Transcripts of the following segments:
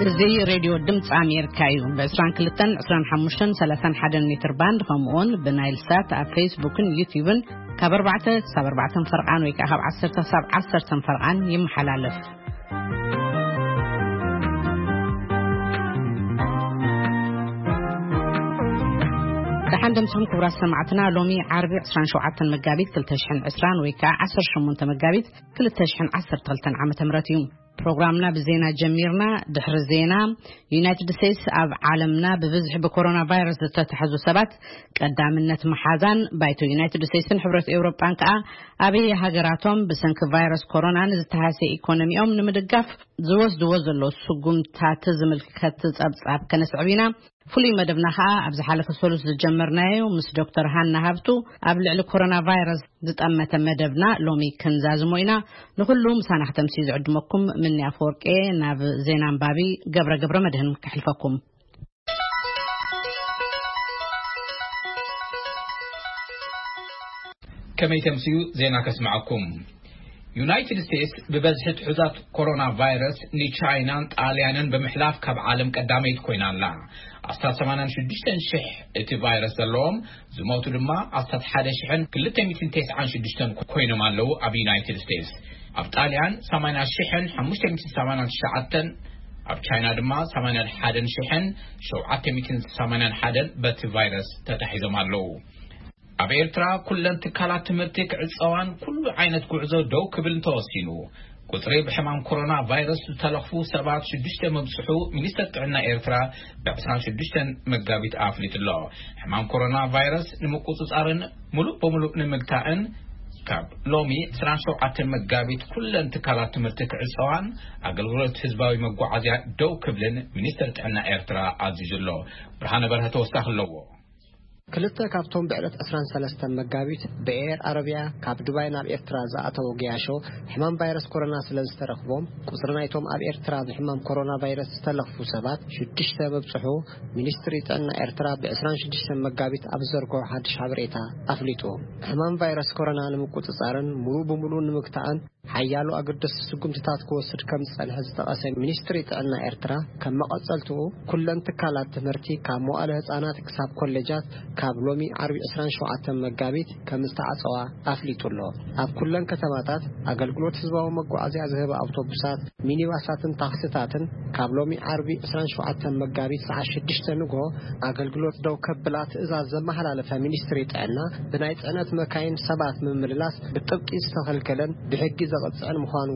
እዚ ሬድዮ ድምፂ ኣሜሪካ እዩ። ብ22፣ 25፣ 31 ሜትር ባንድ፣ ከምኡውን ብናይል ሳት ኣብ ፌስቡክን ዩቲዩብን ካብ ኣርባዕተ ክሳብ ኣርባዕተ ፈርቓን ወይ ከዓ ካብ ዓሰርተ ክሳብ ዓሰርተ ፈርቓን ይመሓላለፍ። ደሓን ደምስኹም ክቡራት ሰማዕትና። ሎሚ ዓርቢ 27 መጋቢት 2020 ወይ ከዓ 18 መጋቢት 2012 ዓመተ ምህረት እዩ። ፕሮግራምና ብዜና ጀሚርና። ድሕሪ ዜና፣ ዩናይትድ ስቴትስ ኣብ ዓለምና ብብዝሒ ብኮሮና ቫይረስ ዝተታሕዙ ሰባት ቀዳምነት መሓዛን፣ ባይቶ ዩናይትድ ስቴትስን ሕብረት ኤውሮጳን ከኣ ኣበየ ሃገራቶም ብሰንኪ ቫይረስ ኮሮና ንዝተሃሰየ ኢኮኖሚኦም ንምድጋፍ ዝወስድዎ ዘለዉ ስጉምታት ዝምልከት ጸብጻብ ከነስዕብ ኢና። ፍሉይ መደብና ከኣ ኣብ ዝሓለፈ ሰሉስ ዝጀመርናዮ ምስ ዶክተር ሃና ሃብቱ ኣብ ልዕሊ ኮሮና ቫይረስ ዝጠመተ መደብና ሎሚ ክንዛዝሞ ኢና። ንኹሉ ምሳና ክተምሲ ዝዕድመኩም ምኒ ኣፈወርቄ። ናብ ዜና ኣንባቢ ገብረ ገብረ መድህን ከሕልፈኩም። ከመይ ተምስዩ ዜና ከስምዓኩም። ዩናይትድ ስቴትስ ብበዝሒ ትሑዛት ኮሮና ቫይረስ ንቻይናን ጣልያንን ብምሕላፍ ካብ ዓለም ቀዳመይቲ ኮይና ኣላ። ኣስታት 86,000 እቲ ቫይረስ ዘለዎም፣ ዝሞቱ ድማ ኣስታት 1,296 ኮይኖም ኣለዉ። ኣብ ዩናይትድ ስቴትስ፣ ኣብ ጣልያን 80,589፣ ኣብ ቻይና ድማ 81,781 በቲ ቫይረስ ተታሒዞም ኣለዉ። ኣብ ኤርትራ ኩለን ትካላት ትምህርቲ ክዕጸዋን ኩሉ ዓይነት ጉዕዞ ደው ክብል ተወሲኑ። ቁጽሪ ብሕማም ኮሮና ቫይረስ ዝተለኽፉ ሰባት ሽዱሽተ ምብጽሑ ሚኒስተር ጥዕና ኤርትራ ብ26 መጋቢት ኣፍሊጡ ኣሎ። ሕማም ኮሮና ቫይረስ ንምቁጽጻርን ሙሉእ በሙሉእ ንምግታእን ካብ ሎሚ 27 መጋቢት ኩለን ትካላት ትምህርቲ ክዕጸዋን ኣገልግሎት ህዝባዊ መጓዓዝያ ደው ክብልን ሚኒስተር ጥዕና ኤርትራ ኣዚዙ ኣሎ። ብርሃነ በርሀ ተወሳኺ ኣለዎ። ክልተ ካብቶም ብዕለት 23 መጋቢት ብኤር ኣረቢያ ካብ ዱባይ ናብ ኤርትራ ዝኣተዉ ገያሾ ሕማም ቫይረስ ኮሮና ስለ ዝተረኽቦም፣ ቁጽሪ ናይቶም ኣብ ኤርትራ ብሕማም ኮሮና ቫይረስ ዝተለኽፉ ሰባት ሽዱሽተ ምብጽሑ ሚኒስትሪ ጥዕና ኤርትራ ብ26 መጋቢት ኣብ ዘርግሖ ሓድሽ ሓበሬታ ኣፍሊጡ። ሕማም ቫይረስ ኮሮና ንምቁጽጻርን ሙሉእ ብምሉእ ንምግታእን ሓያሎ ኣገደስቲ ስጉምትታት ክወስድ ከም ዝጸንሐ ዝጠቐሰ ሚኒስትሪ ጥዕና ኤርትራ፣ ከም መቐጸልትኡ ኩለን ትካላት ትምህርቲ ካብ መዋእለ ህጻናት ክሳብ ኮሌጃት ካብ ሎሚ ዓርቢ 27 መጋቢት ከም ዝተዓጸዋ ኣፍሊጡ ኣሎ። ኣብ ኩለን ከተማታት ኣገልግሎት ህዝባዊ መጓዓዝያ ዝህባ ኣውቶቡሳት፣ ሚኒባሳትን ታክሲታትን ካብ ሎሚ ዓርቢ 27 መጋቢት ሰዓት ሽዱሽተ ንግሆ ኣገልግሎት ደው ከብላ ትእዛዝ ዘመሓላለፈ ሚኒስትሪ ጥዕና፣ ብናይ ጽዕነት መካይን ሰባት ምምልላስ ብጥብቂ ዝተኸልከለን ብሕጊ ዘቕጽዕን ምዃኑ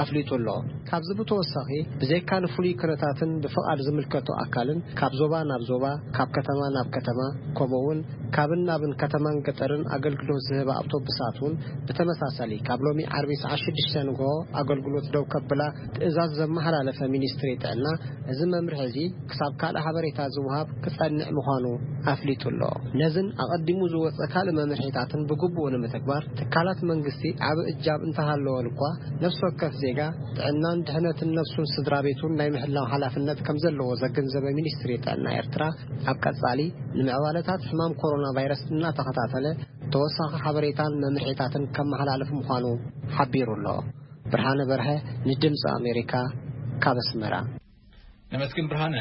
ኣፍሊጡ ኣሎ። ካብዚ ብተወሳኺ፣ ብዘይካ ንፍሉይ ኩነታትን ብፍቓድ ዝምልከቶ ኣካልን ካብ ዞባ ናብ ዞባ፣ ካብ ከተማ ናብ ከተማ፣ ከምኡ እውን ካብን ናብን ከተማን ገጠርን ኣገልግሎት ዝህባ ኣውቶቡሳት እውን ብተመሳሳሊ ካብ ሎሚ ዓርቢ ሰዓት ሽዱሽተ ንግሆ ኣገልግሎት ደው ከብላ ትእዛዝ ዘመሓላለፈ ሚኒስትሪ ጥዕና፣ እዚ መምርሒ እዚ ክሳብ ካልእ ሓበሬታ ዝወሃብ ክጸንዕ ምዃኑ ኣፍሊጡ ኣሎ። ነዝን ኣቐዲሙ ዝወጸ ካልእ መምርሒታትን ብግቡእ ንምትግባር ትካላት መንግስቲ ዓቢ እጃም እንተሃለወን እኳ፣ ነፍሲ ወከፍ ዜጋ ጥዕናን ድሕነትን ነፍሱን ስድራ ቤቱን ናይ ምሕላው ሓላፍነት ከም ዘለዎ ዘገንዘበ ሚኒስትሪ ጥዕና ኤርትራ፣ ኣብ ቀጻሊ ንምዕባለታት ሕማም ኮሮና ቫይረስ እናተኸታተለ ተወሳኺ ሓበሬታን መምርሒታትን ከመሓላልፍ ምዃኑ ሓቢሩ ኣሎ። ብርሃነ በርሀ፣ ንድምፂ ኣሜሪካ፣ ካብ ኣስመራ። ነመስግን ብርሃነ።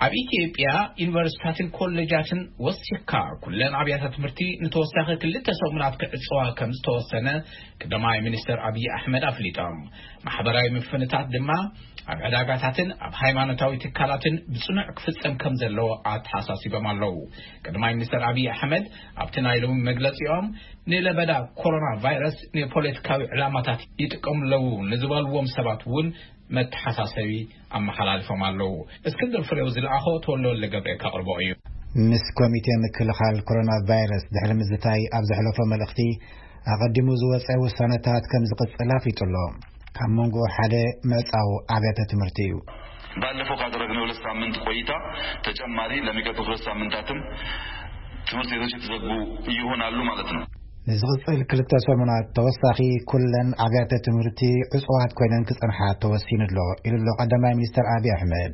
ኣብ ኢትዮጵያ ዩኒቨርሲቲታትን ኮሌጃትን ወሲኽካ ኩለን ኣብያተ ትምህርቲ ንተወሳኺ ክልተ ሰሙናት ክዕፅዋ ከም ዝተወሰነ ቀዳማይ ሚኒስትር ኣብይ ኣሕመድ ኣፍሊጦም። ማሕበራዊ ምፍንታት ድማ ኣብ ዕዳጋታትን ኣብ ሃይማኖታዊ ትካላትን ብጽኑዕ ክፍጸም ከም ዘለዎ ኣተሓሳሲቦም ኣለዉ። ቀዳማይ ሚኒስትር ኣብይ ኣሕመድ ኣብቲ ናይ ሎሚ መግለጺኦም፣ ንለበዳ ኮሮና ቫይረስ ንፖለቲካዊ ዕላማታት ይጥቀሙ ኣለዉ ንዝበልዎም ሰባት እውን መተሓሳሰቢ ኣመሓላልፎም ኣለዉ። እስክንድር ፍሬው ዝለኣኾ ተወልደ ወልደ ገብርኤል ከቕርቦ እዩ። ምስ ኮሚቴ ምክልኻል ኮሮና ቫይረስ ድሕሪ ምዝታይ ኣብ ዘሕለፎ መልእኽቲ፣ ኣቐዲሙ ዝወጸ ውሳነታት ከም ዝቕጽል ኣፍሊጡ ኣሎ። ካብ መንጎ ሓደ ምዕጻው ኣብያተ ትምህርቲ እዩ። ባለፈው ካደረግነው ሁለት ሳምንት ቆይታ ተጨማሪ ለሚቀጥሉት ሁለት ሳምንታትም ትምህርት ቤቶች የተዘጉ ይሆናሉ ማለት ነው። ንዝቕጽል ክልተ ሰሙናት ተወሳኺ ኩለን ኣብያተ ትምህርቲ ዕጹዋት ኮይነን ክጸንሓ ተወሲኑ ኣሎ፣ ኢሉ ኣሎ ቀዳማይ ሚኒስትር ኣብይ ኣሕመድ።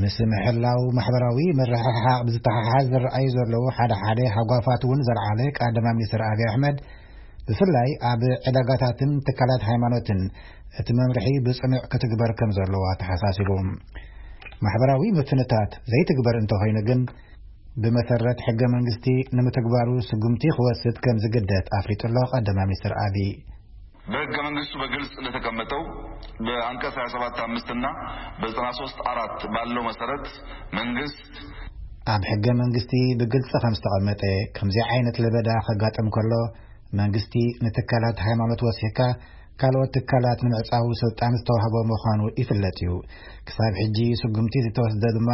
ምስ ምሕላው ማሕበራዊ ምርሕሓቕ ብዝተሓሓዝ ዝረኣዩ ዘለዉ ሓደ ሓደ ሃጓፋት እውን ዘልዓለ ቀዳማይ ሚኒስትር ኣብይ ኣሕመድ፣ ብፍላይ ኣብ ዕዳጋታትን ትካላት ሃይማኖትን እቲ መምርሒ ብጽኑዕ ክትግበር ከም ዘለዎ ኣተሓሳሲቡ። ማሕበራዊ ምፍንታት ዘይትግበር እንተኾይኑ ግን፣ ብመሰረት ሕገ መንግስቲ ንምትግባሩ ስጉምቲ ክወስድ ከም ዝግደድ ኣፍሊጡ ኣሎ ቀዳማይ ሚኒስትር ኣቢ። በሕገ መንግስቱ በግልጽ እንደተቀመጠው በአንቀጽ ሃያ ሰባት አምስት እና በዘጠና ሶስት አራት ባለው መሰረት መንግስት ኣብ ሕገ መንግስቲ ብግልጽ ከም ዝተቐመጠ፣ ከምዚ ዓይነት ለበዳ ከጋጥም ከሎ መንግስቲ ንትካላት ሃይማኖት ወሲኽካ ካልኦት ትካላት ንምዕጻው ስልጣን ዝተዋህቦ ምዃኑ ይፍለጥ እዩ። ክሳብ ሕጂ ስጉምቲ ዝተወስደ ድማ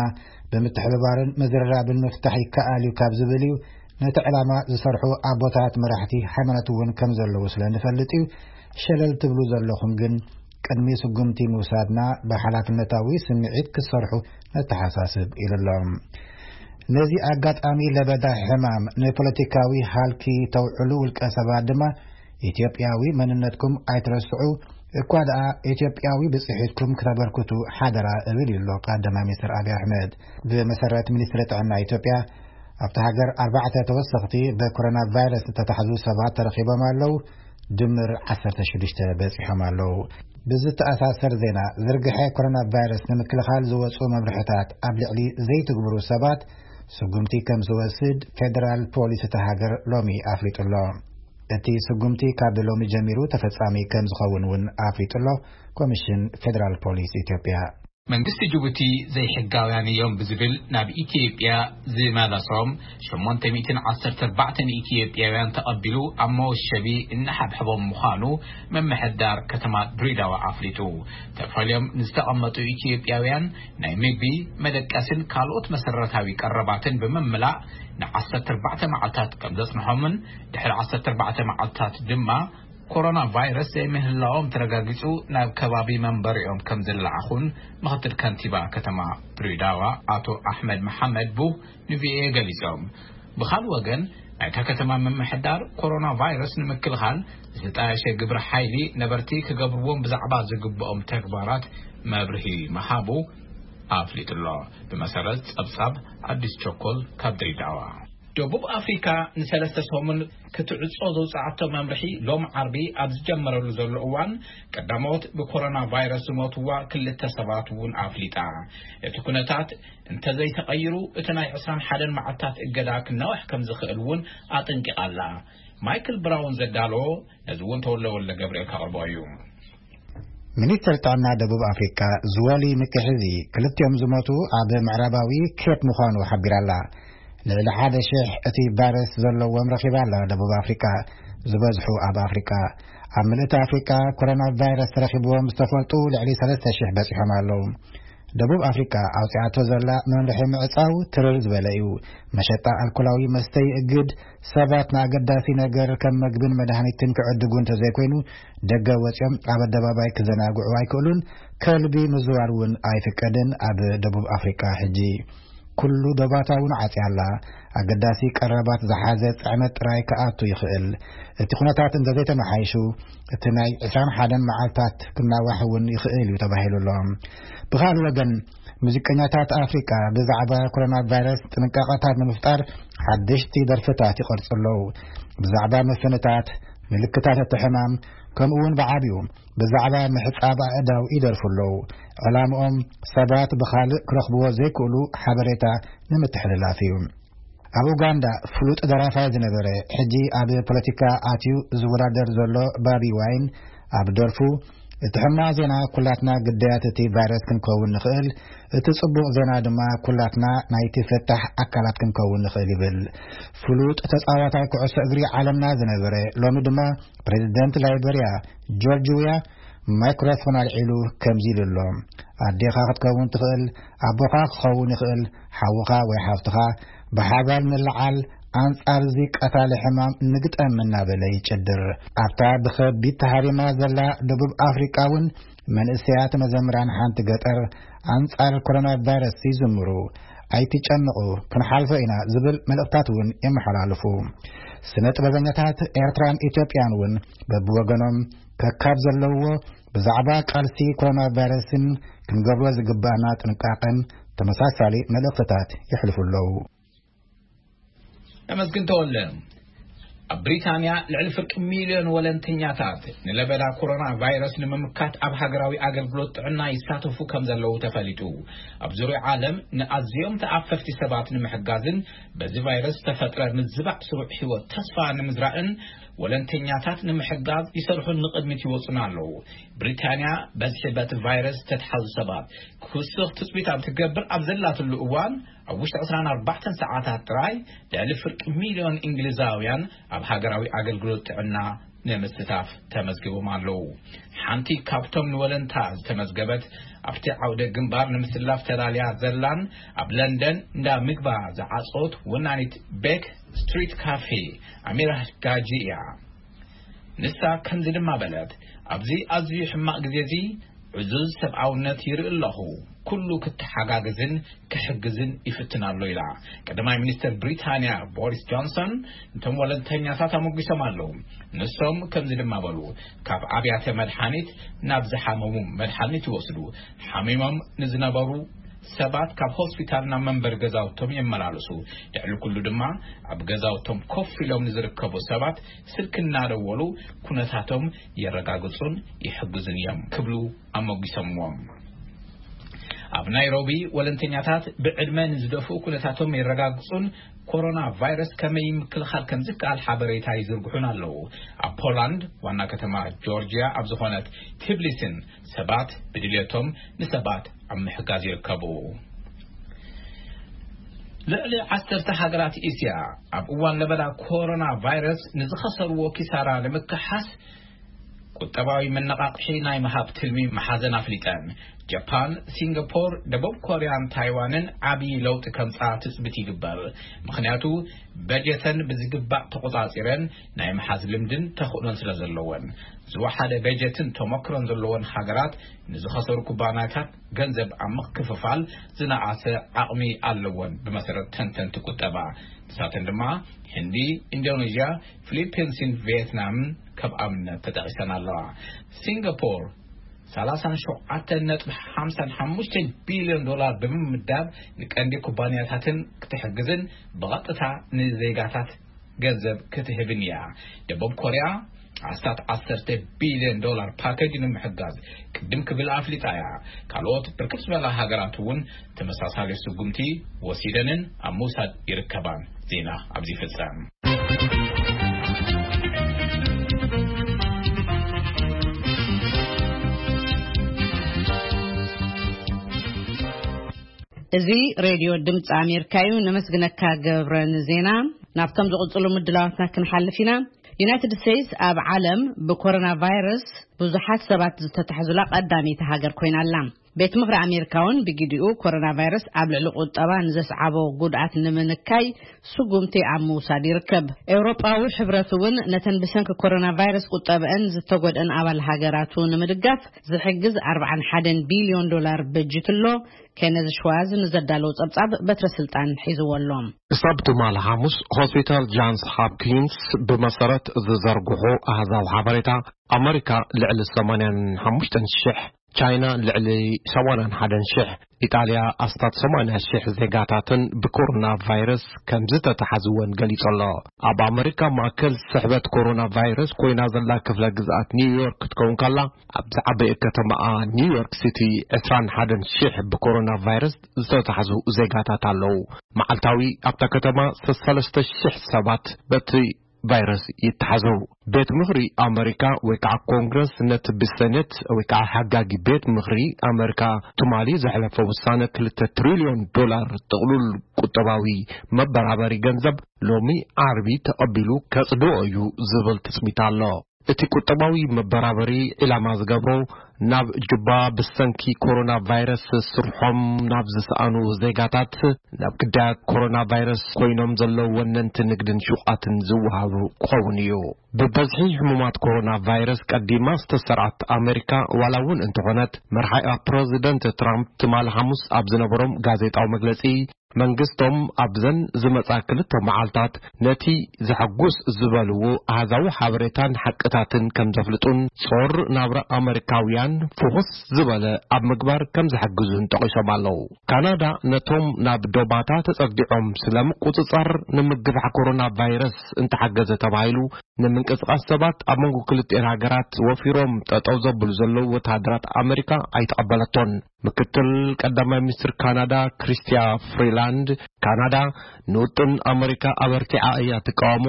ብምትሕብባርን ምዝርራብን ምፍታሕ ይከኣል እዩ ካብ ዝብል እዩ። ነቲ ዕላማ ዝሰርሑ ኣቦታት መራሕቲ ሃይማኖት እውን ከም ዘለዉ ስለ ንፈልጥ እዩ። ሸለል ትብሉ ዘለኹም ግን ቅድሚ ስጉምቲ ምውሳድና ብሓላፍነታዊ ስምዒት ክትሰርሑ ነተሓሳስብ ኢሉ ኣሎ። ነዚ ኣጋጣሚ ለበዳ ሕማም ንፖለቲካዊ ሃልኪ ተውዕሉ ውልቀ ሰባት ድማ ኢትዮጵያዊ መንነትኩም ኣይትረስዑ፣ እኳ ደኣ ኢትዮጵያዊ ብፅሒትኩም ክተበርክቱ ሓደራ እብል እዩ ኣሎ ቀዳማይ ሚኒስትር ኣብይ ኣሕመድ። ብመሰረት ሚኒስትሪ ጥዕና ኢትዮጵያ ኣብቲ ሃገር ኣርባዕተ ተወሰኽቲ ብኮሮና ቫይረስ ዝተታሕዙ ሰባት ተረኺቦም ኣለዉ። ድምር ዓሰርተ ሽዱሽተ በፂሖም ኣለዉ። ብዝተኣሳሰር ዜና፣ ዝርግሐ ኮሮና ቫይረስ ንምክልኻል ዝወፁ መምርሕታት ኣብ ልዕሊ ዘይትግብሩ ሰባት ስጉምቲ ከም ዝወስድ ፌደራል ፖሊስ እቲ ሃገር ሎሚ ኣፍሊጡ ኣሎ። እቲ ስጉምቲ ካብ ሎሚ ጀሚሩ ተፈጻሚ ከም ዝኸውን እውን ኣፍሊጡ ኣሎ ኮሚሽን ፌደራል ፖሊስ ኢትዮጵያ። መንግስቲ ጅቡቲ ዘይሕጋውያን እዮም ብዝብል ናብ ኢትዮጵያ ዝመለሶም ሸሞንተ ሚእትን ዓሰርተ ኣርባዕተን ኢትዮጵያውያን ተቐቢሉ ኣብ መወሸቢ እናሓብሐቦም ምዃኑ ምምሕዳር ከተማ ድሬዳዋ ኣፍሊጡ። ተፈልዮም ንዝተቐመጡ ኢትዮጵያውያን ናይ ምግቢ፣ መደቀስን ካልኦት መሰረታዊ ቀረባትን ብምምላእ ንዓሰርተ ኣርባዕተ መዓልታት ከም ዘጽንሖምን ድሕሪ ዓሰርተ ኣርባዕተ መዓልታት ድማ ኮሮና ቫይረስ ዘይምህላዎም ተረጋጊጹ ናብ ከባቢ መንበሪኦም ከም ዝለዓኹን ምኽትል ከንቲባ ከተማ ድሬዳዋ ኣቶ ኣሕመድ መሓመድ ቡህ ንቪኦኤ ገሊጾም። ብኻልእ ወገን ናይታ ከተማ ምምሕዳር ኮሮና ቫይረስ ንምክልኻል ዝተጣየሸ ግብረ ሓይሊ ነበርቲ ክገብርዎም ብዛዕባ ዝግብኦም ተግባራት መብርሂ ምሃቡ ኣፍሊጡ ኣሎ። ብመሰረት ጸብጻብ ኣዲስ ቸኮል ካብ ድሬዳዋ። ደቡብ ኣፍሪካ ንሰለስተ ሰሙን ክትዕጾ ዘውፅኣቶ መምርሒ ሎም ዓርቢ ኣብ ዝጀመረሉ ዘሎ እዋን ቀዳሞት ብኮሮና ቫይረስ ዝሞትዋ ክልተ ሰባት እውን ኣፍሊጣ። እቲ ኩነታት እንተዘይተቐይሩ እቲ ናይ ዕስራን ሓደን መዓልታት እገዳ ክናዋሕ ከም ዝኽእል እውን ኣጠንቂቓ ኣላ። ማይክል ብራውን ዘዳለዎ ነዚ እውን ተወለ ወልደ ገብርኤል ከቕርቦ እዩ። ሚኒስትር ጥዕና ደቡብ ኣፍሪቃ ዝወሊ ምክሕዚ ክልቲኦም ዝሞቱ ኣብ ምዕራባዊ ኬፕ ምዃኑ ሓቢራ ኣላ። ልዕሊ ሓደ ሽሕ እቲ ቫይረስ ዘለዎም ረኺባ ኣላ ደቡብ ኣፍሪቃ፣ ዝበዝሑ ኣብ ኣፍሪቃ። ኣብ ምልእቲ ኣፍሪቃ ኮሮና ቫይረስ ተረኺብዎም ዝተፈልጡ ልዕሊ ሰለስተ ሽሕ በጺሖም ኣለዉ። ደቡብ ኣፍሪቃ ኣውጺኣቶ ዘላ መምርሒ ምዕጻው ትርር ዝበለ እዩ። መሸጣ ኣልኮላዊ መስተ ይእግድ። ሰባት ንኣገዳሲ ነገር ከም መግብን መድሃኒትን ክዕድጉ እንተዘይኮይኑ ደገ ወጺኦም ኣብ ኣደባባይ ክዘናግዑ ኣይክእሉን። ከልቢ ምዝዋር እውን ኣይፍቀድን ኣብ ደቡብ ኣፍሪቃ። ሕጂ ኩሉ ዶባታ እውን ዓጽያ ኣላ። ኣገዳሲ ቀረባት ዝሓዘ ጽዕነት ጥራይ ክኣቱ ይኽእል። እቲ ኩነታት እንተዘይተመሓይሹ እቲ ናይ ዕስራን ሓደን መዓልታት ክናዋሕ እውን ይኽእል እዩ ተባሂሉ ኣሎ። ብኻልእ ወገን ሙዚቀኛታት ኣፍሪቃ ብዛዕባ ኮሮና ቫይረስ ጥንቃቐታት ንምፍጣር ሓደሽቲ ደርፍታት ይቐርጹ ኣለዉ። ብዛዕባ ምፍንታት፣ ምልክታት እቲ ሕማም፣ ከምኡ እውን ብዓቢኡ ብዛዕባ ምሕጻብ ኣእዳው ይደርፉ ኣለዉ። ዕላምኦም ሰባት ብኻልእ ክረኽብዎ ዘይክእሉ ሓበሬታ ንምትሕልላፍ እዩ። ኣብ ኡጋንዳ ፍሉጥ ደራፋይ ዝነበረ ሕጂ ኣብ ፖለቲካ ኣትዩ ዝወዳደር ዘሎ ባቢ ዋይን ኣብ ደርፉ እቲ ሕማቕ ዜና ኩላትና ግዳያት እቲ ቫይረስ ክንከውን ንኽእል፣ እቲ ጽቡቕ ዜና ድማ ኩላትና ናይቲ ፍታሕ ኣካላት ክንከውን ንኽእል ይብል። ፍሉጥ ተጻዋታይ ኩዕሶ እግሪ ዓለምና ዝነበረ ሎሚ ድማ ፕሬዚደንት ላይበርያ ጆርጅ ዊያ ማይክሮፎን ኣልዒሉ ከምዚ ኢሉ ኣሎ። ኣዴኻ ክትከውን ትኽእል፣ ኣቦኻ ክኸውን ይኽእል፣ ሓውኻ ወይ ሓፍትኻ ብሓባር ንለዓል ኣንጻር እዚ ቀታሊ ሕማም ንግጠም እናበለ ይጭድር። ኣብታ ብኸቢድ ተሃሪማ ዘላ ደቡብ ኣፍሪቃ እውን መንእሰያት መዘምራን ሓንቲ ገጠር ኣንጻር ኮሮና ቫይረስ ይዝምሩ። ኣይትጨንቑ፣ ክንሓልፎ ኢና ዝብል መልእኽታት እውን የመሓላልፉ። ስነ ጥበበኛታት ኤርትራን ኢትዮጵያን እውን በብወገኖም ከካብ ዘለውዎ ብዛዕባ ቃልሲ ኮሮና ቫይረስን ክንገብሮ ዝግባኣና ጥንቃቐን ተመሳሳሊ መልእኽትታት የሕልፉ ኣለዉ። ተመስግን ተወለ። ኣብ ብሪታንያ ልዕሊ ፍርቂ ሚልዮን ወለንተኛታት ንለበዳ ኮሮና ቫይረስ ንምምካት ኣብ ሃገራዊ ኣገልግሎት ጥዕና ይሳተፉ ከም ዘለዉ ተፈሊጡ። ኣብ ዙርያ ዓለም ንኣዝዮም ተኣፈፍቲ ሰባት ንምሕጋዝን በዚ ቫይረስ ዝተፈጥረ ምዝባዕ ስሩዕ ህይወት ተስፋ ንምዝራእን ወለንተኛታት ንምሕጋዝ ይሰርሑን ንቕድሚት ይወጹን ኣለዉ። ብሪታንያ በዝሒ በቲ ቫይረስ ዝተትሓዙ ሰባት ክውስኽ ትጽቢት ኣብ ትገብር ኣብ ዘላትሉ እዋን፣ ኣብ ውሽጢ ዕስራን ኣርባዕተን ሰዓታት ጥራይ ልዕሊ ፍርቂ ሚልዮን እንግሊዛውያን ኣብ ሃገራዊ ኣገልግሎት ጥዕና ንምስታፍ ተመዝጊቦም ኣለዉ። ሓንቲ ካብቶም ንወለንታ ዝተመዝገበት ኣብቲ ዓውደ ግንባር ንምስላፍ ተዳልያ ዘላን ኣብ ለንደን እንዳ ምግባ ዝዓጾት ወናኒት ቤክ ስትሪት ካፌ ኣሚራ ጋጂ እያ። ንሳ ከምዚ ድማ በለት፣ ኣብዚ ኣዝዩ ሕማቕ ግዜ እዚ ዕዙዝ ሰብኣውነት ይርኢ ኣለኹ። ኩሉ ክተሓጋግዝን ክሕግዝን ይፍትን ኣሎ ኢላ። ቀዳማይ ሚኒስተር ብሪታንያ ቦሪስ ጆንሰን ነቶም ወለንተኛታት ኣሞጊሶም ኣለዉ። ንሶም ከምዚ ድማ በሉ፣ ካብ ኣብያተ መድሓኒት ናብ ዝሓመሙ መድሓኒት ይወስዱ፣ ሓሚሞም ንዝነበሩ ሰባት ካብ ሆስፒታል ናብ መንበሪ ገዛውቶም የመላልሱ። ልዕሊ ኩሉ ድማ ኣብ ገዛውቶም ኮፍ ኢሎም ንዝርከቡ ሰባት ስልኪ እናደወሉ ኩነታቶም የረጋግጹን ይሕግዙን እዮም ክብሉ ኣሞጊሶምዎም። ኣብ ናይሮቢ ወለንተኛታት ብዕድመ ንዝደፍኡ ኩነታቶም የረጋግጹን ኮሮና ቫይረስ ከመይ ምክልኻል ከም ዝከኣል ሓበሬታ ይዝርግሑን ኣለዉ። ኣብ ፖላንድ ዋና ከተማ ጆርጅያ ኣብ ዝኾነት ቲብሊስን ሰባት ብድልየቶም ንሰባት ኣብ ምሕጋዝ ይርከቡ። ልዕሊ ዓሰርተ ሃገራት እስያ ኣብ እዋን ለበዳ ኮሮና ቫይረስ ንዝኸሰርዎ ኪሳራ ንምክሓስ ቁጠባዊ መነቓቕሒ ናይ ምሃብ ትልሚ መሓዘን ኣፍሊጠን። ጃፓን፣ ሲንጋፖር፣ ደቡብ ኮርያን ታይዋንን ዓብዪ ለውጢ ከምጻ ትጽቢት ይግበር። ምኽንያቱ በጀተን ብዝግባእ ተቖጻጺረን ናይ ምሓዝ ልምድን ተኽእሎን ስለ ዘለወን። ዝወሓደ በጀትን ተመክሮን ዘለወን ሃገራት ንዝኸሰሩ ኩባንያታት ገንዘብ ኣብ ምክፍፋል ዝነኣሰ ዓቕሚ ኣለወን ብመሰረት ተንተንቲ ቁጠባ። ንሳተን ድማ ህንዲ፣ ኢንዶኔዥያ፣ ፊሊፒንስን ቪየትናምን ከም ኣብነት ተጠቒሰን ኣለዋ። ሲንጋፖር ሰላሳን ሸውዓተን ነጥቢ ሓምሳን ሓሙሽተን ቢልዮን ዶላር ብምምዳብ ንቀንዲ ኩባንያታትን ክትሕግዝን ብቐጥታ ንዜጋታት ገንዘብ ክትህብን እያ። ደቡብ ኮርያ ኣስታት ዓሰርተ ቢልዮን ዶላር ፓኬጅ ንምሕጋዝ ቅድም ክብል ኣፍሊጣ እያ። ካልኦት ብርክት ዝበላ ሃገራት እውን ተመሳሳሊ ስጉምቲ ወሲደንን ኣብ ምውሳድ ይርከባን። ዜና ኣብዚ ይፍጸም። እዚ ሬድዮ ድምፂ ኣሜሪካ እዩ። ነመስግነካ ገብረ ንዜና። ናብቶም ዝቕፅሉ ምድላዋትና ክንሓልፍ ኢና። ዩናይትድ ስቴትስ ኣብ ዓለም ብኮሮና ቫይረስ ብዙሓት ሰባት ዝተታሕዙላ ቀዳመይቲ ሃገር ኮይና ኣላ። ቤት ምኽሪ ኣሜሪካ እውን ብግዲኡ ኮሮና ቫይረስ ኣብ ልዕሊ ቁጠባ ንዘስዓቦ ጉድኣት ንምንካይ ስጉምቲ ኣብ ምውሳድ ይርከብ። ኤውሮጳዊ ሕብረት እውን ነተን ብሰንኪ ኮሮና ቫይረስ ቁጠብአን ዝተጎድአን ኣባል ሃገራቱ ንምድጋፍ ዝሕግዝ ኣርባዓን ሓደን ቢልዮን ዶላር በጂትሎ። ኬነዝ ሽዋዝ ንዘዳለዎ ጸብጻብ በትረ ስልጣን ሒዝዎ ኣሎ። ክሳብ ትማሊ ሓሙስ ሆስፒታል ጃንስ ሆፕኪንስ ብመሰረት ዝዘርግሑ ኣሃዛዊ ሓበሬታ፣ ኣመሪካ ልዕሊ ሰማንያን ሓሙሽተን ሽሕ፣ ቻይና ልዕሊ ሰማንያን ሓደን ሽሕ፣ ኢጣልያ ኣስታት ሰማንያ ሽሕ ዜጋታትን ብኮሮና ቫይረስ ከም ዝተታሓዝወን ገሊጹ ኣሎ። ኣብ ኣመሪካ ማእከል ስሕበት ኮሮና ቫይረስ ኮይና ዘላ ክፍለ ግዝኣት ኒውዮርክ ክትከውን ከላ፣ ኣብ ዝዓበየ ከተማኣ ኒውዮርክ ሲቲ ዕስራን ሓደን ሽሕ ብኮሮና ቫይረስ ዝተታሕዙ ዜጋታት ኣለዉ። መዓልታዊ ኣብታ ከተማ ሰለስተ ሽሕ ሰባት በቲ ቫይረስ ይተሓዙ። ቤት ምኽሪ ኣመሪካ ወይ ከዓ ኮንግረስ ነቲ ብሰኔት ወይ ከዓ ሓጋጊ ቤት ምኽሪ ኣመሪካ ትማሊ ዘሕለፈ ውሳነ ክልተ ትሪልዮን ዶላር ጥቕሉል ቁጠባዊ መበራበሪ ገንዘብ ሎሚ ዓርቢ ተቐቢሉ ከጽድኦ እዩ ዝብል ትጽቢት ኣሎ። እቲ ቁጠባዊ መበራበሪ ዒላማ ዝገብሮ ናብ ጁባ ብሰንኪ ኮሮና ቫይረስ ስርሖም ናብ ዝሰኣኑ ዜጋታት፣ ናብ ግዳያት ኮሮና ቫይረስ ኮይኖም ዘለዉ ወነንቲ ንግድን ሹቓትን ዝወሃቡ ክኸውን እዩ። ብበዝሒ ሕሙማት ኮሮና ቫይረስ ቀዲማ ዝተሰርዓት ኣመሪካ ዋላ እውን እንተኾነት፣ መርሓያ ፕረዚደንት ትራምፕ ትማሊ ሓሙስ ኣብ ዝነበሮም ጋዜጣዊ መግለጺ፣ መንግስቶም ኣብዘን ዝመጻ ክልተ መዓልታት ነቲ ዘሐጉስ ዝበልዎ ኣሃዛዊ ሓበሬታን ሓቅታትን ከም ዘፍልጡን ጾር ናብራ ኣመሪካውያን ፍኹስ ዝበለ ኣብ ምግባር ከም ዝሕግዙን ጠቒሶም ኣለዉ። ካናዳ ነቶም ናብ ዶባታ ተጸግዖም ስለምቁጽጻር ንምግፋሕ ኮሮና ቫይረስ እንተሓገዘ ተባሂሉ ንምንቅስቓስ ሰባት ኣብ መንጎ ክልቲኤን ሃገራት ወፊሮም ጠጠው ዘብሉ ዘለዉ ወተሃደራት ኣመሪካ ኣይተቐበለቶን። ምክትል ቀዳማይ ሚኒስትር ካናዳ ክሪስቲያ ፍሪላንድ፣ ካናዳ ንውጥን ኣመሪካ ኣበርቲዓ እያ ትቃወሞ፣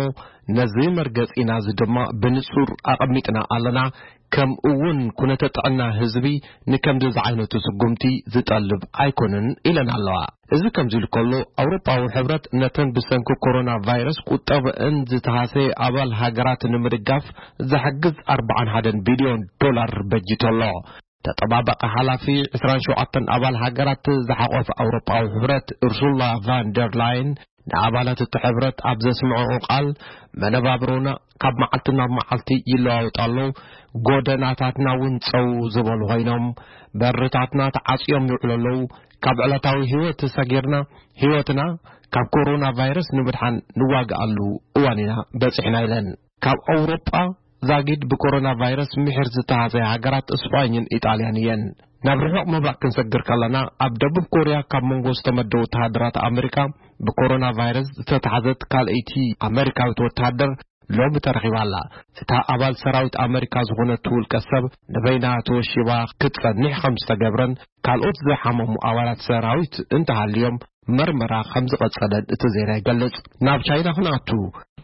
ነዚ መርገጺና እዚ ድማ ብንጹር ኣቐሚጥና ኣለና፣ ከምኡ እውን ኩነተ ጥዕና ህዝቢ ንከምዚ ዝዓይነቱ ስጉምቲ ዝጠልብ ኣይኮነን ኢለን ኣለዋ። እዚ ከምዚ ኢሉ ከሎ፣ ኣውሮጳዊ ሕብረት ነተን ብሰንኪ ኮሮና ቫይረስ ቁጠበአን ዝተሃሰየ ኣባል ሃገራት ንምድጋፍ ዝሕግዝ ኣርባዓን ሓደን ቢልዮን ዶላር በጂቱ ኣሎ። ተጠባባቂ ሓላፊ ዕስራን ሸውዓተን ኣባል ሃገራት ዝሓቆፈ ኣውሮጳዊ ሕብረት ኡርሱላ ቫን ደር ላይን ንኣባላት እቲ ሕብረት ኣብ ዘስምዐኦ ቃል፣ መነባብሮና ካብ መዓልቲ ናብ መዓልቲ ይለዋወጥ ኣሎ፣ ጎደናታትና እውን ጸው ዝበሉ ኮይኖም፣ በርታትና ተዓጽዮም ይውዕሉ ኣለዉ። ካብ ዕለታዊ ህይወት ሰጊርና ህይወትና ካብ ኮሮና ቫይረስ ንምድሓን ንዋግኣሉ እዋን ኢና በጺሕና ኢለን። ካብ ኣውሮጳ ዛጊድ ብኮሮና ቫይረስ ምሒር ዝተሃሰያ ሃገራት እስጳኝን ኢጣልያን እየን። ናብ ርሑቕ ምብራቕ ክንሰግር ከለና፣ ኣብ ደቡብ ኮርያ ካብ መንጎ ዝተመደቡ ወተሃደራት ኣመሪካ ብኮሮና ቫይረስ ዝተታሕዘት ካልኣይቲ ኣመሪካዊት ወተሃደር ሎሚ ተረኺባ ኣላ። እታ ኣባል ሰራዊት ኣመሪካ ዝኾነት ውልቀ ሰብ ንበይና ተወሺባ ክትጸንሕ ከም ዝተገብረን ካልኦት ዝሓመሙ ኣባላት ሰራዊት እንተሃልዮም መርመራ ከም ዝቐጸለን እቲ ዜና ይገልጽ። ናብ ቻይና ክንኣቱ፣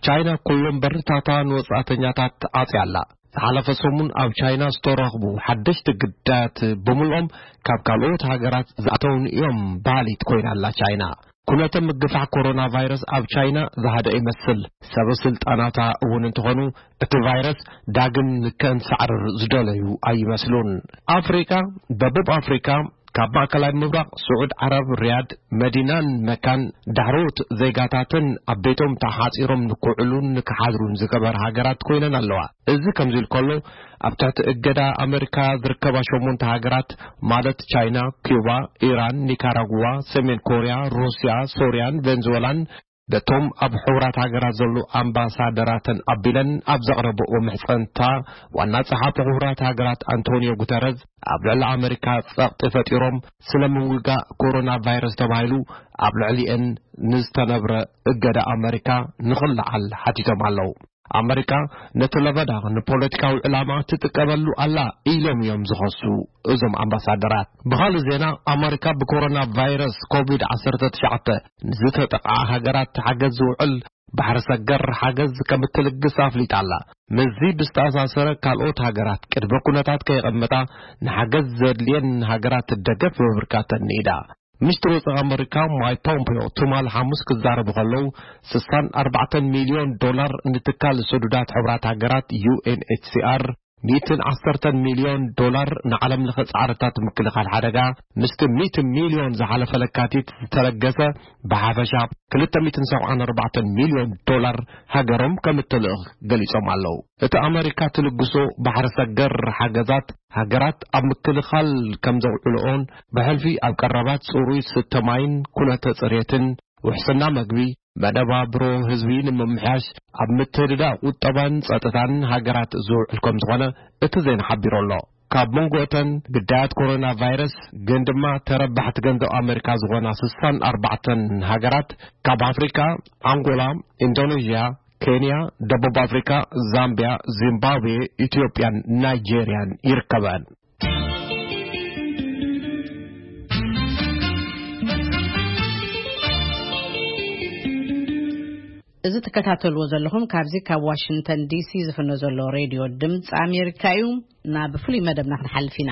ቻይና ኩሎም በርታታ ንወጻእተኛታት ዓጽያ ኣላ። ዝሓለፈ ሰሙን ኣብ ቻይና ዝተረኽቡ ሓደሽቲ ግዳያት ብምልኦም ካብ ካልኦት ሃገራት ዝኣተውን እዮም በሃሊት ኮይና ኣላ ቻይና። ኩነተ ምግፋሕ ኮሮና ቫይረስ ኣብ ቻይና ዝሃደአ ይመስል። ሰበ ስልጣናታ እውን እንተኾኑ እቲ ቫይረስ ዳግም ከንሳዕርር ዝደለዩ ኣይመስሉን። ኣፍሪቃ፣ ደቡብ ኣፍሪቃ ካብ ማእከላይ ምብራቕ ስዑድ ዓረብ ሪያድ መዲናን መካን ዳሕሮት ዜጋታተን ኣብ ቤቶም ተሓጺሮም ንክውዕሉን ንክሓድሩን ዝገበራ ሃገራት ኮይነን ኣለዋ። እዚ ከምዚ ኢሉ ከሎ፣ ኣብ ትሕቲ እገዳ ኣመሪካ ዝርከባ ሸሞንተ ሃገራት ማለት ቻይና፣ ኪዩባ፣ ኢራን፣ ኒካራጉዋ፣ ሰሜን ኮርያ፣ ሩስያ፣ ሶርያን ቬንዙዌላን በቶም ኣብ ሕቡራት ሃገራት ዘለዉ ኣምባሳደራተን ኣቢለን ኣብ ዘቕረብኦ ምሕጸንታ፣ ዋና ጸሓፊ ሕቡራት ሃገራት ኣንቶኒዮ ጉተረዝ ኣብ ልዕሊ ኣመሪካ ጸቕጢ ፈጢሮም ስለ ምውጋእ ኮሮና ቫይረስ ተባሂሉ ኣብ ልዕሊኤን ንዝተነብረ እገዳ ኣመሪካ ንኽለዓል ሓቲቶም ኣለዉ። ኣመሪካ ነቲ ለበዳ ንፖለቲካዊ ዕላማ ትጥቀመሉ ኣላ ኢሎም እዮም ዝኸሱ እዞም ኣምባሳደራት። ብኻልእ ዜና፣ ኣመሪካ ብኮሮና ቫይረስ ኮቪድ ዓሰርተ ትሽዓተ ንዝተጠቕዓ ሃገራት ሓገዝ ዝውዕል ባሕሪ ሰገር ሓገዝ ከም እትልግስ ኣፍሊጣ ኣላ። ምስዚ ብዝተኣሳሰረ፣ ካልኦት ሃገራት ቅድመ ኩነታት ከየቐመጣ ንሓገዝ ዘድልየን ሃገራት ደገፍ ምብርካተን ንኢዳ። ሚኒስትር ወጻኢ ኣመሪካ ማይክ ፖምፔዮ ትማል ሓሙስ ክዛረቡ ከለዉ፣ ስሳን ኣርባዕተን ሚልዮን ዶላር ንትካል ስዱዳት ሕቡራት ሃገራት ዩ ኤን ኤች ሲ ኣር፣ ሚእትን ዓሰርተን ሚልዮን ዶላር ንዓለም ለኸ ጻዕርታት ምክልኻል ሓደጋ፣ ምስቲ ሚእቲ ሚልዮን ዝሓለፈ ለካቲት ዝተለገሰ ብሓፈሻ ክልተ ሚእትን ሰብዓን ኣርባዕተን ሚልዮን ዶላር ሃገሮም ከም እትልእኽ ገሊጾም ኣለዉ። እቲ ኣመሪካ ትልግሶ ባሕሪ ሰገር ሓገዛት፣ ሃገራት ኣብ ምክልኻል ከም ዘውዕልኦን፣ ብሕልፊ ኣብ ቀረባት ጽሩይ ስተ ማይን ኩነተ ጽሬትን፣ ውሕስና መግቢ፣ መነባብሮ ህዝቢ ንምምሕያሽ፣ ኣብ ምትህድዳእ ቁጠባን ጸጥታን ሃገራት ዝውዕል ከም ዝኾነ እቲ ዜና ሓቢሩ ኣሎ። ካብ መንጎ እተን ግዳያት ኮሮና ቫይረስ ግን ድማ ተረባሕቲ ገንዘብ ኣመሪካ ዝኾና ስሳን ኣርባዕተን ሃገራት፣ ካብ ኣፍሪካ፣ ኣንጎላ፣ ኢንዶኔዥያ፣ ኬንያ፣ ደቡብ ኣፍሪካ፣ ዛምቢያ፣ ዚምባብዌ፣ ኢትዮጵያን ናይጄርያን ይርከበን። እዚ ትከታተልዎ ዘለኹም ካብዚ ካብ ዋሽንግተን ዲሲ ዝፍኖ ዘሎ ሬድዮ ድምፂ ኣሜሪካ እዩ። ናብ ፍሉይ መደብና ክንሓልፍ ኢና።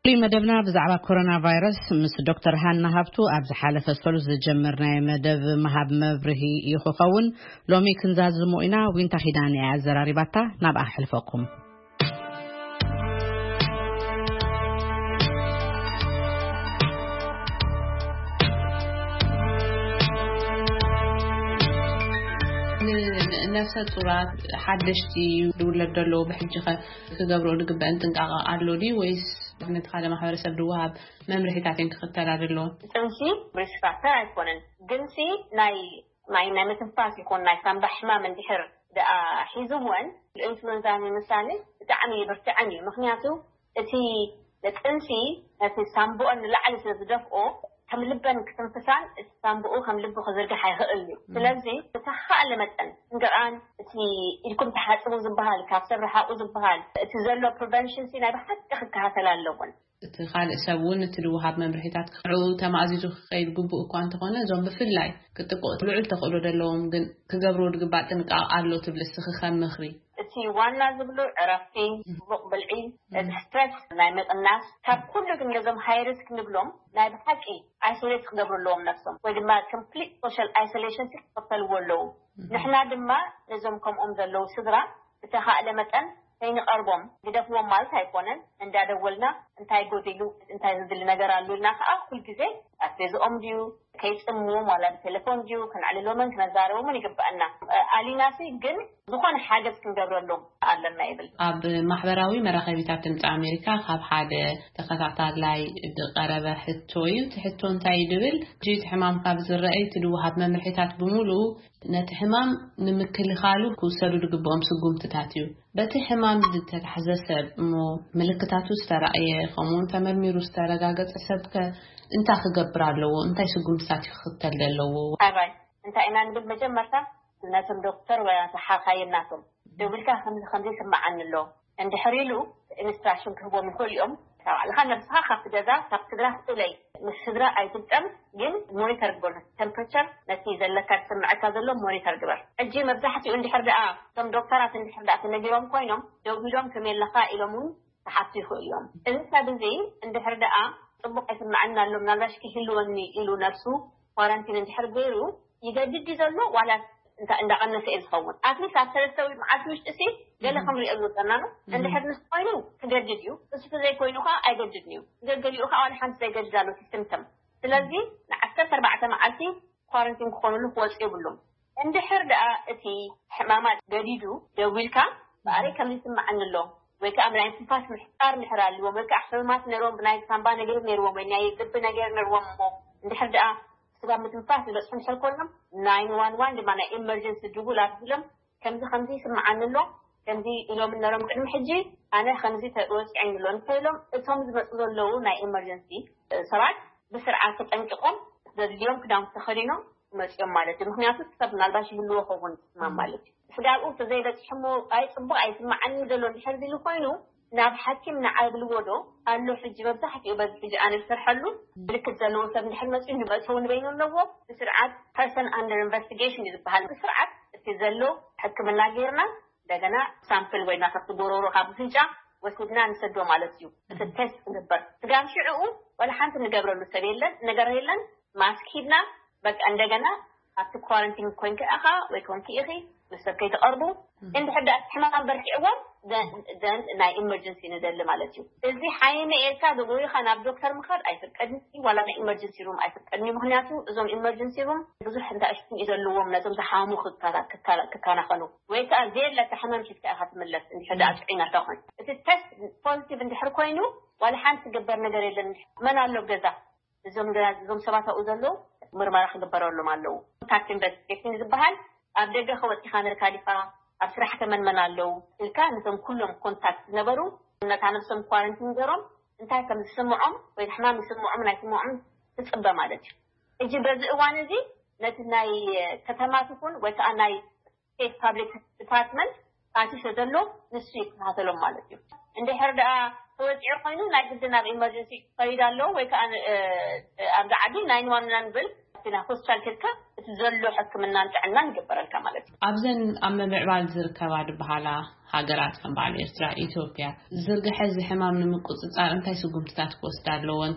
ፍሉይ መደብና ብዛዕባ ኮሮና ቫይረስ ምስ ዶክተር ሃና ሃብቱ ኣብ ዝሓለፈ ሰሉስ ዝጀመርናዮ መደብ ምሃብ መብርሂ እዩ ክኸውን። ሎሚ ክንዛዝሞ ኢና። ዊንታ ኪዳነ እያ ኣዘራሪባታ። ናብኣ ኣሕልፈኩም። ነፍሰ ጡራት፣ ሓደሽቲ ዝውለድ ዘለዉ ብሕጂ ኸ ክገብሮ ዝግበአን ጥንቃቐ ኣሎ ድዩ ወይስ ነቲ ካልእ ማሕበረሰብ ዝወሃብ መምርሒታት እየን ክኽተላ ዘለዎን? ጥንሲ ሪስክ ፋክተር ኣይኮነን፣ ግንሲ ናይ ናይ ናይ ምትንፋስ ይኹን ናይ ሳምባ ሕማም እንድሕር ደኣ ሒዝወን ኢንፍሉዌንዛ ንምሳሌ ብጣዕሚ ይብርትዐን እዩ። ምክንያቱ እቲ ንጥንሲ ነቲ ሳምብኦን ንላዕሊ ስለ ዝደፍኦ ከም ልበን ክትንፍሳን እቲ ሳምብኡ ከም ልቡ ክዝርግሕ ኣይኽእል እዩ። ስለዚ ብተኻእለ መጠን እንገኣን እቲ ኢድኩም ተሓጽቡ ዝበሃል ካብ ሰብ ረሓቑ ዝበሃል እቲ ዘሎ ፕሪቨንሽን ሲ ናይ ብሓቂ ክከታተል ኣለዎን። እቲ ካልእ ሰብ እውን እቲ ዝወሃብ መምርሒታት ንዕኡ ተማእዚዙ ክኸይድ ግቡእ እኳ እንተኾነ እዞም ብፍላይ ክጥቅዑ ልዑል ተኽእሎ ዘለዎም ግን ክገብርዎ ዝግባእ ጥንቃቐ ኣሎ ትብሊ እስኺ ከም ምኽሪ? እቲ ዋና ዝብሉ ዕረፍቲ፣ ጽቡቕ ብልዒ፣ እቲ ስትረስ ናይ ምቕናስ፣ ካብ ኩሉ ግን ነዞም ሃይ ሪስክ ንብሎም ናይ ብሓቂ ኣይሶሌት ክገብሩ ኣለዎም ነብሶም ወይ ድማ ኮምፕሊት ሶሻል ኣይሶሌሽን ክኽተልዎ ኣለዉ። ንሕና ድማ ነዞም ከምኦም ዘለዉ ስድራ ብተኻእለ መጠን ከይንቐርቦም ግደፍዎም ማለት ኣይኮነን። እንዳደወልና እንታይ ጎዲሉ እንታይ ዝድሊ ነገር ኣሎ ኢልና ከዓ ኩልግዜ ኣስቤዝኦም ድዩ ከይጽምዎም ዋላ ብቴሌፎን ድዩ ክነዕልሎምን ክነዛረቦምን ይግበኣና። ኣሊናሲ ግን ዝኾነ ሓገዝ ክንገብረሎም ኣለና ይብል። ኣብ ማሕበራዊ መራኸቢታት ድምፂ ኣሜሪካ ካብ ሓደ ተኸታታላይ ዝቐረበ ሕቶ እዩ። እቲ ሕቶ እንታይ እዩ ድብል፣ እቲ ሕማም ካብ ዝረአይ እቲ ዝወሃብ መምርሒታት ብምሉኡ ነቲ ሕማም ንምክልኻሉ ክውሰዱ ዝግብኦም ስጉምትታት እዩ። በቲ ሕማም ዝተታሕዘ ሰብ እሞ ምልክታቱ ዝተራእየ ከምኡውን ተመርሚሩ ዝተረጋገጸ ሰብከ እንታይ ክገብር ኣለዎ? እንታይ ስጉምትታት እዩ ክኽተል ዘለዎ? ኣባይ እንታይ ኢና ንብል? መጀመርታ ነቶም ዶክተር ወይ ሓኻይም ናቶም ደዊልካ ከምዚ ከምዚ ይስምዓኒ ኣሎ እንድሕር ኢሉ ኢንስትራክሽን ክህቦም ይኽእሉ እዮም። ካብ ባዕልኻ ነብስኻ ካብቲ ገዛ ካብ ስድራ ክትለይ ምስ ስድራ ኣይትግጠም፣ ግን ሞኒተር ግበር። ነቲ ቴምፕሬቸር ነቲ ዘለካ ዝስምዐካ ዘሎ ሞኒተር ግበር። ሕጂ መብዛሕትኡ እንድሕር ደኣ እቶም ዶክተራት እንድሕር ደኣ ተነጊሮም ኮይኖም ደዊሎም ከመይ ኣለኻ ኢሎም እውን ክሓቱ ይኽእሉ እዮም። እዚ ሰብ እዚ እንድሕር ደኣ ጽቡቕ ኣይስምዓኒ ኣሎ ምናልባሽ ክህልወኒ ኢሉ ነብሱ ኳረንቲን እንድሕር ገይሩ ይገድድ እዩ ዘሎ ዋላ እንታይ እንዳቐነሰ እዩ ዝኸውን። ኣትሊስት ኣብ ሰለስተ ወይ መዓልቲ ውሽጢ ሲ ገለ ክንሪኦ ዝወፀና ነው። እንድሕር ንሱ ኮይኑ ክገድድ እዩ፣ እሱ ተዘይኮይኑ ከዓ ኣይገድድን እዩ። ገገሊኡ ከዓ ዋላ ሓንቲ ዘይገድድ ኣሎ እቲ ሲምፕተም። ስለዚ ንዓሰርተ ኣርባዕተ መዓልቲ ኳረንቲን ክኾኑሉ ክወፁ የብሉም። እንድሕር ደኣ እቲ ሕማማት ገዲዱ ደዊልካ በኣረይ ከምዚ ይስምዓኒ ኣሎ ወይ ከዓ ናይ ትንፋስ ምሕፃር እንድሕር ኣልዎም ወይ ከዓ ሕማማት ነይሮም ብናይ ሳምባ ነገር ነይርዎም ወይ ናይ ልቢ ነገር ነይርዎም እሞ እንድሕር ደኣ ስጋብ ምትንፋስ ዝበፅሑ እንድሕር ኮይኖም ናይን ዋን ዋን ድማ ናይ ኢመርጀንሲ ድውል ኣቢሎም ከምዚ ከምዚ ይስምዓኒ ኣሎ ከምዚ ኢሎም ነሮም ቅድሚ ሕጂ ኣነ ከምዚ ተወፂዐኒ ኣሎ እንተኢሎም እቶም ዝመፁ ዘለዉ ናይ ኢመርጀንሲ ሰባት ብስርዓት ተጠንቂቖም ዘድልዮም ክዳውንቲ ተኸዲኖም ክመፅኦም ማለት እዩ። ምክንያቱ ሰብ ምናልባሽ ይህልዎ ኸውን ሕማም ማለት እዩ። ስጋብኡ ተዘይበፂሑ እሞ ኣይ ፅቡቕ ኣይስምዓኒ ዘሎ እንድሕር ዝሉ ኮይኑ ናብ ሓኪም ንዓብልዎ ዶ ኣሎ? ሕጂ መብዛሕትኡ በዚ ሕጂ ኣነ ዝሰርሐሉ ምልክት ዘለዎ ሰብ እንድሕር መፅኡ ንመእተዊ ንበይኑ ኣለዎ። ብስርዓት ፐርሰን ኣንደር ኢንቨስቲጌሽን እዩ ዝበሃል። ብስርዓት እቲ ዘሎ ሕክምና ጌርና እንደገና ሳምፕል ወይ ናተቲ ጎሮሮ ካብ ፍንጫ ወሲድና ንሰዶ ማለት እዩ። እቲ ቴስት ክግበር ስጋብ ሽዕኡ ወላ ሓንቲ ንገብረሉ ሰብ የለን፣ ነገር የለን። ማስክ ሂድና በቃ እንደገና ኣብቲ ኳረንቲን ኮይንካ ኢኻ ወይ ኮንኪ ኢኺ ምስ ሰብ ከይትቐርቡ። እንድሕር ደኣ እቲ ሕማም በርቲዕዎም ዘን ናይ ኢመርጀንሲ ንደሊ ማለት እዩ። እዚ ሓይነ ኤልካ ዘጎይኻ ናብ ዶክተር ምኻድ ኣይፍቀድን እዩ፣ ዋላ ናይ ኢመርጀንሲ ሩም ኣይፍቀድን እዩ። ምክንያቱ እዞም ኢመርጀንሲ ሩም ብዙሕ እንዳ እሽትን እዩ ዘለዎም ነዞም ዝሓሙ ክከላ- ክከላ- ክከናኸኑ ወይ ከዓ ዘየለካ ሕማም ሒዝካ ኢኻ ትምለስ እንድሕር ደኣ ጥዑይ ናታ ኮይኑ እቲ ተስት ፖዚቲቭ እንድሕር ኮይኑ ዋላ ሓንቲ ዝግበር ነገር የለን። መን ኣሎ ኣብ ገዛ እዞም ገዛ እዞም ሰባት ኣብኡ ዘለዉ ምርመራ ክግበረሎም ኣለዉ። ኮንታክት ኢንቨስቲጌሽን ዝበሃል ኣብ ደገ ከወፂኻ ኣሜሪካ ዲኻ ኣብ ስራሕ ከመንመን ኣለዉ ኢልካ ነቶም ኩሎም ኮንታክት ዝነበሩ ነታ ነብሶም ኳረንቲን ገሮም እንታይ ከም ዝስምዖም ወይ ሕማም ይስምዖም ናይ ስምዖም ትፅበ ማለት እዩ። ሕጂ በዚ እዋን እዚ ነቲ ናይ ከተማ ትኹን ወይ ከዓ ናይ ስቴት ፓብሊክ ዲፓርትመንት ኣትዩ ዘሎ ንሱ ይከታተሎም ማለት እዩ። እንድሕር ደኣ ተወፂዑ ኮይኑ ናይ ግዲ ናብ ኢመርጀንሲ ክኸይድ ኣለዎ ወይ ከዓ ኣብዚ ዓዲ ናይን ዋን ናን ብል እቲ ናብ ሆስፒታል ከድካ እቲ ዘሎ ሕክምናን ጥዕናን ይግበረልካ ማለት እዩ። ኣብዘን ኣብ ምምዕባል ዝርከባ ዝበሃላ ሃገራት ከም በዓል ኤርትራ፣ ኢትዮጵያ ዝርግሐ እዚ ሕማም ንምቁፅፃር እንታይ ስጉምትታት ክወስዳ ኣለወን?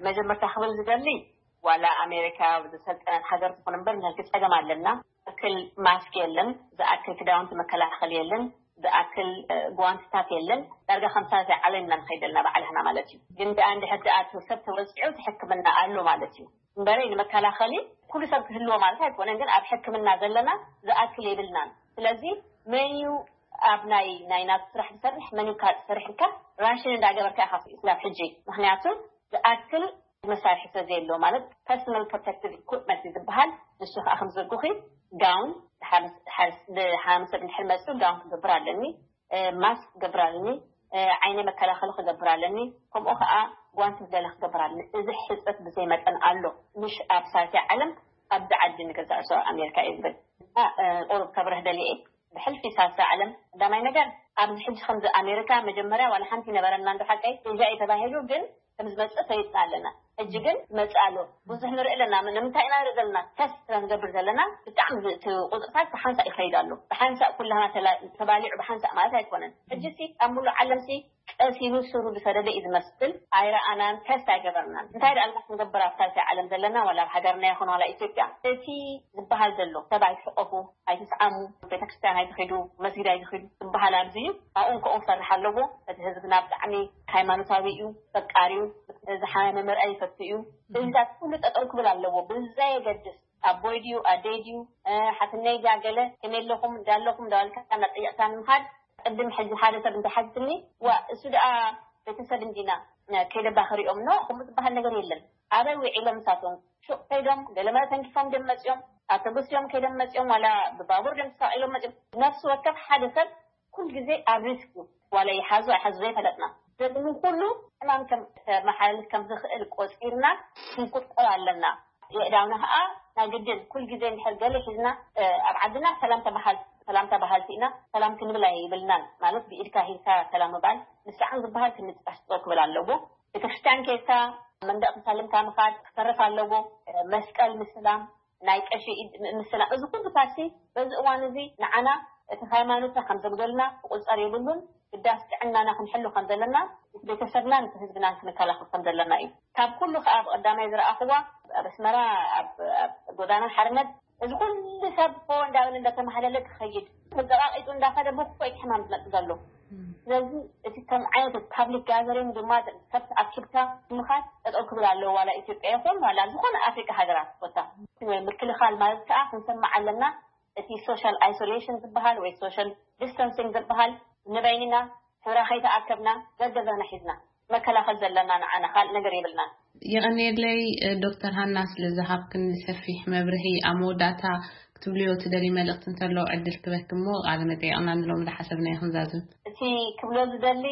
መጀመርታ ክብል ዝደሊ ዋላ ኣሜሪካ ዝሰልጠነት ሃገር ትኹን እምበር ነቲ ፀገም ኣለና። ዝኣክል ማስክ የለን፣ ዝኣክል ክዳውንቲ መከላኸሊ የለን፣ ዝኣክል ጓንትታት የለን። ዳርጋ ከምሳ ዓለም ኢና ንኸይድ ዘለና ባዕልና ማለት እዩ። ግን ደኣ እንድሕር ደኣ ሰብ ተወፂዑ እቲ ሕክምና ኣሎ ማለት እዩ። እምበረይ ንመከላኸሊ ኩሉ ሰብ ክህልዎ ማለት ኣይኮነን፣ ግን ኣብ ሕክምና ዘለና ዝኣክል የብልናን። ስለዚ መን እዩ ኣብ ናይ ናይ ናቱ ስራሕ ዝሰርሕ፣ መን እዩ ካልእ ዝሰርሕ ኢልካ ራሽን እንዳገበርካ ኢኻ ክስላብ ሕጂ። ምክንያቱ ዝኣክል መሳርሒ ስለ ዘየሎ፣ ማለት ፐርሶናል ፕሮቴክቲቭ ኢኩፕመንት ዝበሃል፣ ንሱ ከዓ ከም ዝብልኩኺ ጋውን፣ ሓደ ሰብ እንድሕር መፅኡ ጋውን ክገብር ኣለኒ፣ ማስክ ክገብር ኣለኒ፣ ዓይነ መከላኸሊ ክገብር ኣለኒ፣ ከምኡ ከዓ ጓንቲ ዝደለ ክገብር ኣለኒ። እዚ ሕፅረት ብዘይ መጠን ኣሎ። ምሽ ኣብ ሳልሳይ ዓለም ኣብዚ ዓዲ ንገዛእ ሰው ኣሜሪካ እዩ ዝብል። ቁሩብ ከብረህ ደሊየ። ብሕልፊ ሳልሳይ ዓለም ቀዳማይ ነገር ኣብዚ ሕጂ ከምዚ ኣሜሪካ መጀመርያ ዋላ ሓንቲ ነበረና እንዶ ሓቀይ እዛ እዩ ተባሂሉ፣ ግን ከም ዝመፅእ ፈሊጥና ኣለና። ሕጂ ግን መፅእ ኣሎ። ብዙሕ ንርኢ ኣለና። ንምንታይ ኢና ንርኢ ዘለና? ተስት ስለ ንገብር ዘለና ብጣዕሚ እቲ ቁፅርታት ብሓንሳእ ይኸይድ ኣሎ። ብሓንሳእ ኩላና ተላ- ተባሊዑ ብሓንሳእ ማለት ኣይኮነን። ሕጂ ሲ ኣብ ሙሉእ ዓለም ሲ ቀሲኑ ስሩ ዝሰደደ እዩ ዝመስል። ኣይረኣናን፣ ተስት ኣይገበርናን። እንታይ ደኣ ክንገብር ኣብ ሳልሳይ ዓለም ዘለና ዋላ ኣብ ሃገርና ይኹን ዋላ ኢትዮጵያ እቲ ዝበሃል ዘሎ ሰብ ኣይትሕቆፉ፣ ኣይትስዓሙ፣ ቤተክርስትያን ኣይትኺዱ፣ መስጊድ ኣይትኺዱ ዝበሃል ኣብዚ እዩ። ኣብኡ እንከኡ ክሰርሕ ኣለዎ። እቲ ህዝብና ብጣዕሚ ሃይማኖታዊ እዩ፣ ፈቃሪ እዩ፣ ዝሓመመ ምርኣይ ይፈቱ እዩ። እዚታት ኩሉ ጠጠው ክብል ኣለዎ። ብዘየገድስ ኣቦይ ድዩ ኣደይ ድዩ ሓትነይ ድያ ገለ ከመይ ኣለኹም እንዳለኹም እንዳበልካ እናጠየቕካ ንምኻድ ቅድም ሕጂ ሓደ ሰብ እንተሓቲትኒ ዋ እሱ ደኣ ቤተሰብ እንዲና ከይደባ ክሪኦም ኖ ከምኡ ዝበሃል ነገር የለን። ኣበይ ውዒሎም ንሳቶም ሹቕ ከይዶም ገለመለ ተንኪፎም ደም መፅኦም ኣተጎስዮም ከይዶም መፅኦም ዋላ ብባቡር ደም ተሳቒሎም መፅኦም። ነፍሲ ወከፍ ሓደ ሰብ ኩል ግዜ ኣብ ሪስክ እዩ። ዋላ ይሓዙ ኣይሓዙ ዘይፈለጥና። ስለዚ ኩሉ ሕማም ከም ተመሓላልፍ ከም ዝኽእል ቆፂርና ክንቁጠብ ኣለና። የእዳውና ከዓ ናይ ግድን ኩል ግዜ እንድሕር ገለ ሒዝና ኣብ ዓድና ሰላም ተባሃል ሰላም ተባሃልቲ ኢና። ሰላም ክንብል ኣይብልናን። ማለት ብኢድካ ሂብካ ሰላም ምባል ምስዓን ዝበሃል ክንጥቃስ ክብል ኣለዎ። ቤተክርስትያን ከይድካ መንደቕ ተሳልምካ ምኻድ ክተርፍ ኣለዎ። መስቀል ምስላም ናይ ቀሺ ኢድ ምእምስና እዚ ኩሉ ፓርቲ በዚ እዋን እዚ ንዓና እቲ ሃይማኖትና ከም ዘጉደልና ክቁፀር የብሉን። ግዳስ ጥዕናና ክንሕሉ ከም ዘለና ቤተሰብናን ህዝብናን ክንከላኸል ከም ዘለና እዩ። ካብ ኩሉ ከዓ ብቀዳማይ ዝረኣኽዋ ኣብ ኣስመራ ኣብ ጎዳና ሓርነት እዚ ኩሉ ሰብ ፎ እንዳበለ እንዳተማሃለለ ክኸይድ ተዘቃቂጡ እንዳኸደ ብኮይ ሕማም ዝመፅ ዘሎ። ስለዚ እቲ ከም ዓይነት ፓብሊክ ጋዘሪንግ ድማ ሰብ ኣኪብካ ምኻድ ጠጠው ክብል ኣለዎ። ዋላ ኢትዮጵያ ይኹን ዋላ ዝኾነ ኣፍሪካ ሃገራት ቦታ ወይ ምክልኻል ማለት ከዓ ክንሰማዕ ኣለና። እቲ ሶሻል ኣይሶሌሽን ዝበሃል ወይ ሶሻል ዲስታንሲንግ ዝበሃል ንበይንና ስድራ ከይተኣከብና ገገዛና ሒዝና መከላኸል ዘለና ንዓና ካልእ ነገር የብልናን። የቐንየለይ ዶክተር ሃና ስለ ዝሃብክን ሰፊሕ መብርሂ። ኣብ መወዳእታ ክትብልዮ ትደሊ መልእኽቲ እንተሎ ዕድል ክበክ እሞ ቃለ መጠየቕና ንሎም ዝሓሰብና ይኹን ዛዝም። እቲ ክብሎ ዝደሊ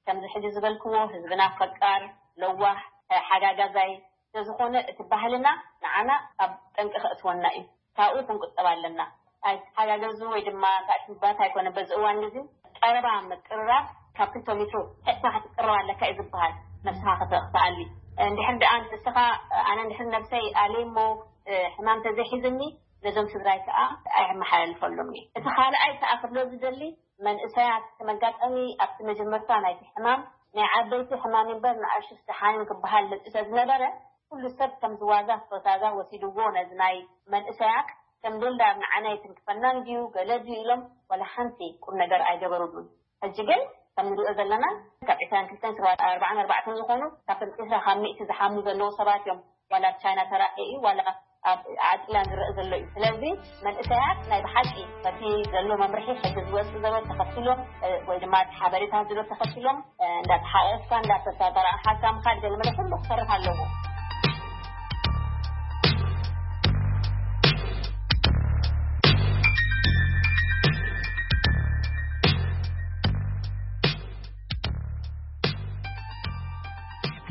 ከምዚ ሕጂ ዝበልክዎ ህዝብና ፈቃር ለዋህ ሓጋጋዛይ ስለዝኾነ እቲ ባህልና ንዓና ኣብ ጠንቂ ከእትወና እዩ። ካብኡ ክንቁጠብ ኣለና። ኣይተሓጋገዙ ወይ ድማ እንታይ ምባት ኣይኮነ በዚ እዋን እዚ ቀረባ ምቅርራብ ካብ ክልተ ሜትሮ ሕጥካ ክትቅረብ ኣለካ እዩ ዝበሃል። ነብስኻ ክተ- ክትኣሊ እንድሕር ደኣ ንስኻ ኣነ እንድሕር ነብሰይ ኣልየ እሞ ሕማም ተዘይሒዝኒ ነዞም ስድራይ ከዓ ኣይመሓላልፈሎም እየ። እቲ ካልኣይ ከዓ ክብሎ ዝደሊ መንእሰያት እቲ መጋጠሚ ኣብቲ መጀመርታ ናይቲ ሕማም ናይ ዓበይቲ ሕማም እምበር ንኣሽቱ ደሓንን ክበሃል መፂኡ ስለዝነበረ ኩሉ ሰብ ከም ዝዋዛ ፈታዛ ወሲድዎ ነዚ ናይ መንእሰያት ከም ዶንዳ ኣብ ንዓና ይትንክፈና እንድዩ ገለ ድዩ ኢሎም ዋላ ሓንቲ ቁም ነገር ኣይገበሩሉን። ሕጂ ግን ከም ንሪኦ ዘለና ካብ ዕስራን ክልተን ሰባት ኣርባዓን ኣርባዕተን ዝኾኑ ካብቶም ዕስራ ካብ ሚእቲ ዝሓሙ ዘለዉ ሰባት እዮም ዋላ ኣብ ቻይና ተራእየ እዩ ዋላ ኣብ ዓድላን ዝረአ ዘሎ እዩ። ስለዚ መንእሰያት ናይ ብሓቂ በቲ ዘሎ መምርሒ ሕጂ ዝወፅእ ዘሎ ተኸቲሎም ወይ ድማ ሓበሬታ ዝሎ ተኸቲሎም እንዳተሓቆፍካ እንዳተሳተራሓካ ምኻድ ገለመለ ኩሉ ክሰርሕ ኣለዎ።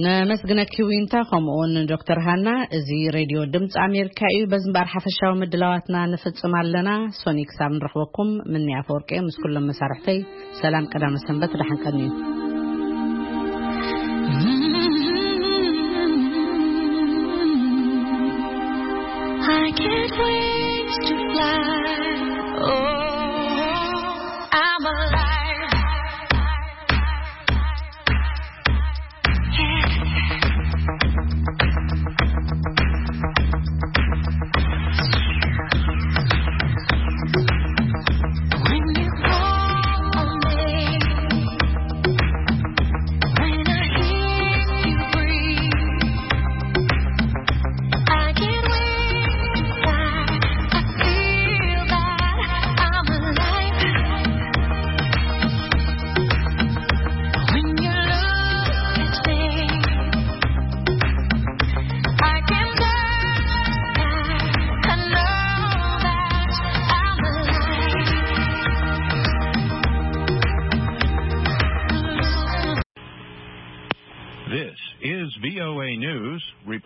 ነመስግነኪ ዊንታ፣ ከምኡውን ዶክተር ሃና። እዚ ሬድዮ ድምፂ ኣሜሪካ እዩ። በዚ እምበኣር ሓፈሻዊ ምድላዋትና ንፍፅም ኣለና። ሶኒ ክሳብ ንረኽበኩም ምኒ ኣፈወርቂ ምስ ኩሎም መሳርሕተይ ሰላም ቀዳመ ሰንበት ደሓን ቀንዩ። I can't wait to fly. Oh, I'm alive. Report.